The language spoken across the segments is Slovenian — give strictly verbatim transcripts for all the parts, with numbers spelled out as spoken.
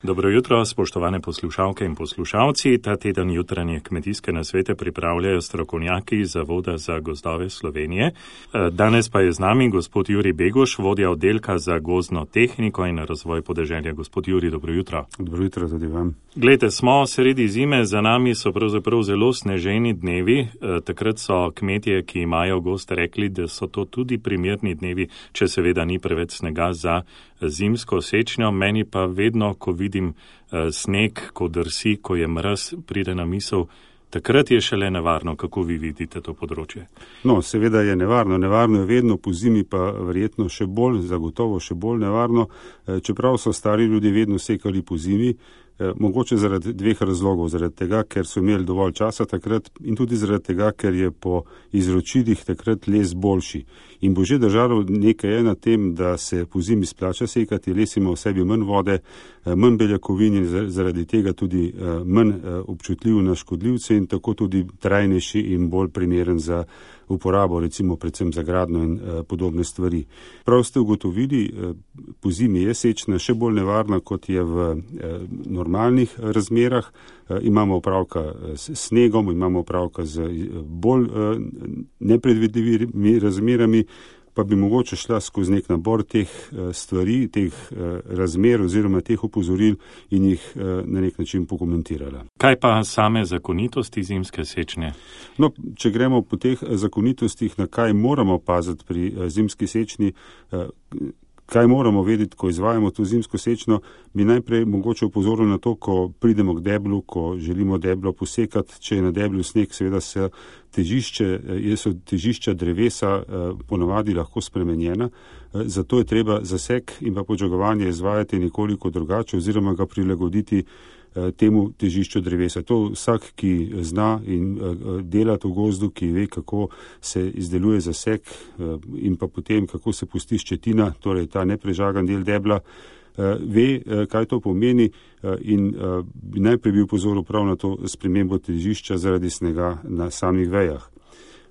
Dobro jutro, spoštovane poslušalke in poslušalci. Ta teden jutranje kmetijske nasvete pripravljajo strokovnjaki Zavoda za gozdove Slovenije. Danes pa je z nami gospod Jurij Beguš, vodja oddelka za gozdno tehniko in razvoj podeželja. Gospod Jurij, dobro jutro. Dobro jutro tudi vam. Glejte, smo sredi zime, za nami so pravzaprav zelo sneženi dnevi. Takrat so kmetje, ki imajo gozd, rekli, da so to tudi primerni dnevi, če seveda ni preveč snega za zimsko sečnjo. Meni pa vedno, ko vidim sneg, ko drsi, ko je mraz, pride na misel, takrat je šele nevarno. Kako vi vidite to področje? No, seveda je nevarno. Nevarno je vedno, po zimi pa verjetno še bolj, zagotovo še bolj nevarno. Čeprav so stari ljudje vedno sekali po zimi, mogoče zaradi dveh razlogov. Zaradi tega, ker so imeli dovolj časa takrat in tudi zaradi tega, ker je po izročilih takrat les boljši. In bo že držalo nekaj je na tem, da se po zimi splača sekati, les ima v sebi manj vode, manj beljakovin in zaradi tega tudi manj občutljiv na škodljivce in tako tudi trajnejši in bolj primeren za uporabo, recimo predvsem za gradnjo in uh, podobne stvari. Prav ste ugotovili, uh, po zimi je sečna še bolj nevarna, kot je v uh, normalnih razmerah. Uh, imamo opravka s snegom, imamo opravka z uh, bolj uh, nepredvidljivimi razmerami, pa bi mogoče šla skozi nek nabor teh stvari, teh razmer oziroma teh opozoril in jih na nek način pokomentirala. Kaj pa same zakonitosti zimske sečnje? No, če gremo po teh zakonitostih, na kaj moramo paziti pri zimski sečnji, kaj moramo vedeti, ko izvajamo to zimsko sečno, bi najprej mogoče opozoril na to, ko pridemo k deblu, ko želimo deblo posekati, če je na deblu sneg, seveda se težišče, so težišča drevesa ponavadi lahko spremenjena, zato je treba zasek in pa podžagovanje izvajati nekoliko drugače oziroma ga prilagoditi temu težišču drevesa. To vsak, ki zna in dela v gozdu, ki ve, kako se izdeluje zasek in pa potem, kako se pusti ščetina, torej ta neprežagan del debla, ve, kaj to pomeni in bi najprej bil pozoril prav na to spremembo težišča zaradi snega na samih vejah.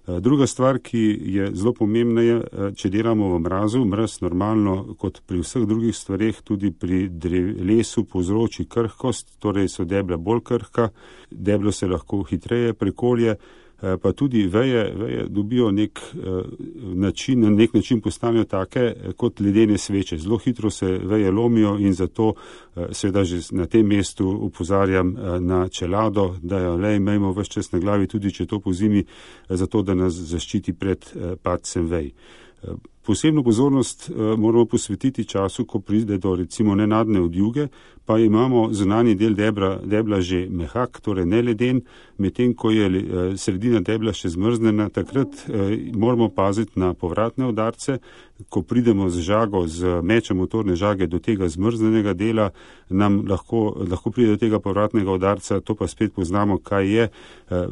Druga stvar, ki je zelo pomembna, je, če delamo v mrazu, mraz normalno, kot pri vseh drugih stvareh, tudi pri drev, lesu povzroči krhkost, torej so debla bolj krhka, deblo se lahko hitreje prekolje, pa tudi veje, veje dobijo nek način, na nek način postanejo take kot ledene sveče. Zelo hitro se veje lomijo in zato seveda že na tem mestu opozarjam na čelado, da jo le imejmo ves čas na glavi, tudi če to po zimi, zato da nas zaščiti pred padcem vej. Posebno pozornost moramo posvetiti času, ko pride do recimo nenadne odjuge, pa imamo zunanji del debla, debla že mehak, torej ne leden, medtem ko je sredina debla še zmrznjena, takrat moramo paziti na povratne udarce. Ko pridemo z žago, z mečem motorne žage do tega zmrznjenega dela, nam lahko, lahko pride do tega povratnega udarca, to pa spet poznamo, kaj je.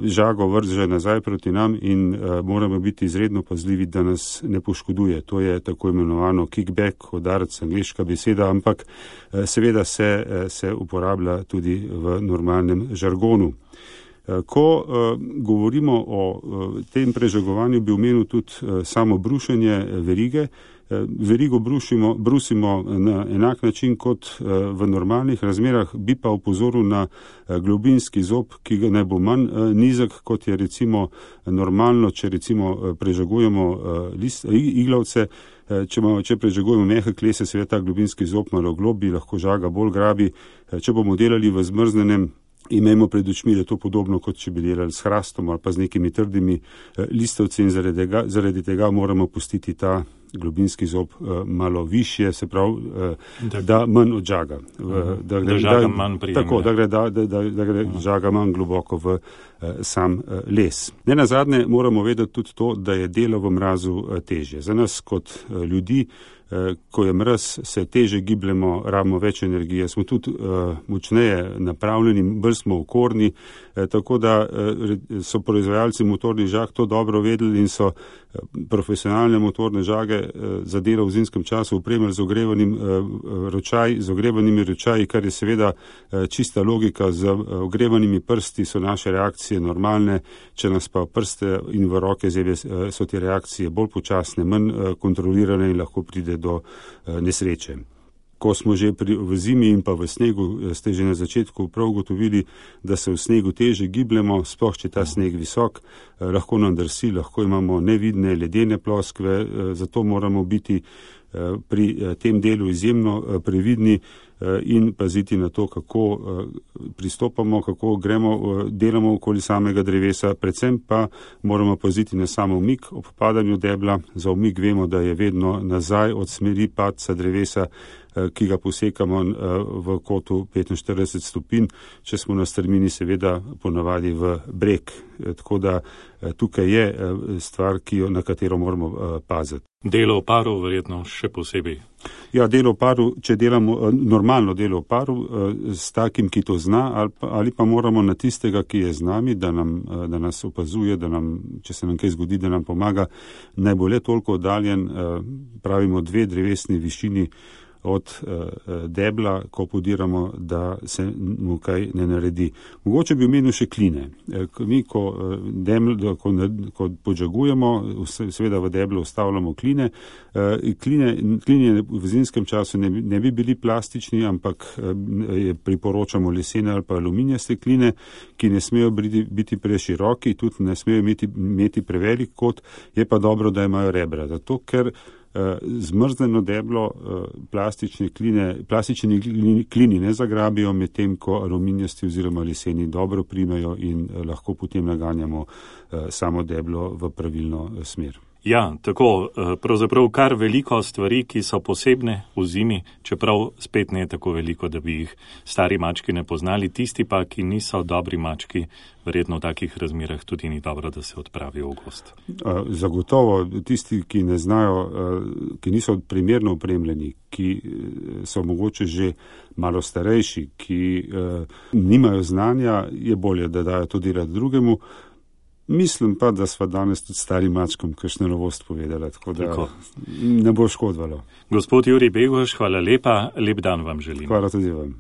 Žago vrže nazaj proti nam in moramo biti izredno pazljivi, da nas ne poškoduje. To je tako imenovano kickback, udarec, angleška beseda, ampak seveda se, se uporablja tudi v normalnem žargonu. Ko uh, govorimo o uh, tem prežagovanju, bi omenil tudi uh, samo brušenje verige. Uh, verigo brušimo, brusimo na enak način kot uh, v normalnih razmerah, bi pa opozoril na uh, globinski zob, ki ga ne bo manj uh, nizek, kot je recimo normalno, če recimo uh, prežagujemo uh, list, uh, iglavce. Uh, če, ma, če prežagujemo mehek les, je seveda ta globinski zob malo globi, lahko žaga bolj grabi. Uh, če bomo delali v zmrznenem, imejmo pred očmi, da je to podobno, kot če bi delali s hrastom ali pa z nekimi trdimi listovci in zaradi tega, zaradi tega moramo pustiti ta globinski zob uh, malo višje, se pravi, uh, da manj odžaga. Uh, da gre, da žaga da, manj prijemne. Tako, da gre, da, da, da, da gre uh. žaga manj globoko v uh, sam uh, les. Ne nazadnje moramo vedeti tudi to, da je delo v mrazu uh, težje. Za nas kot uh, ljudi, uh, ko je mraz, se teže gibljemo, rabimo več energije, smo tudi uh, močneje napravljeni, bolj smo okorni, uh, tako da uh, so proizvajalci motornih žag to dobro vedeli in so uh, profesionalne motorne žage za delo v zimskem času opremili z ogrevanim ročaj, z ogrevanimi ročaji, kar je seveda čista logika. Z ogrevanimi prsti so naše reakcije normalne, če nas pa prste in v roke zebe so te reakcije bolj počasne, manj kontrolirane in lahko pride do nesreče. ko smo že pri, v zimi in pa v snegu, ste že na začetku prav ugotovili, da se v snegu teže gibljemo, sploh če ta sneg visok, lahko nam drsi, lahko imamo nevidne ledene ploskve, zato moramo biti pri tem delu izjemno previdni in paziti na to, kako pristopamo, kako gremo, delamo okoli samega drevesa, predvsem pa moramo paziti na samo umik ob padanju debla. Za umik vemo, da je vedno nazaj od smeri padca drevesa, ki ga posekamo v kotu petinštirideset stopinj, če smo na strmini seveda ponavadi v breg. Tako da tukaj je stvar, ki jo, na katero moramo paziti. Delo v paru verjetno še posebej. Ja, delo v paru, če delamo normalno delo v paru s takim, ki to zna, ali pa, ali pa moramo na tistega, ki je z nami, da, nam, da nas opazuje, da nam, če se nam kaj zgodi, da nam pomaga, naj bo le toliko oddaljen, pravimo dve drevesni višini od uh, debla, ko podiramo, da se mu kaj ne naredi. Mogoče bi omenil še kline. Mi, ko, debl, ko, ko podžagujemo, seveda v deblu ustavljamo kline. Uh, kline. Kline v zimskem času ne, ne bi bili plastični, ampak uh, priporočamo lesene ali pa aluminijaste kline, ki ne smejo biti, biti preširoki, tudi ne smejo imeti, imeti prevelik kot, je pa dobro, da imajo rebra. Zato, ker zmrznjeno deblo plastične kline, plastični klini ne zagrabijo, medtem ko aluminijasti oziroma leseni dobro primejo in lahko potem naganjamo samo deblo v pravilno smer. Ja, tako, pravzaprav kar veliko stvari, ki so posebne v zimi, čeprav spet ne tako veliko, da bi jih stari mački ne poznali, tisti pa, ki niso dobri mački, verjetno v takih razmerah tudi ni dobro, da se odpravijo v gost. Zagotovo tisti, ki ne znajo, ki niso primerno opremljeni, ki so mogoče že malo starejši, ki nimajo znanja, je bolje, da dajo to delati drugemu. Mislim pa, da sva danes tudi starim mačkom kakšno novost povedala, tako da tako. Ne bo škodovalo. Gospod Jurij Beguš, hvala lepa, lep dan vam želim. Hvala tudi vam.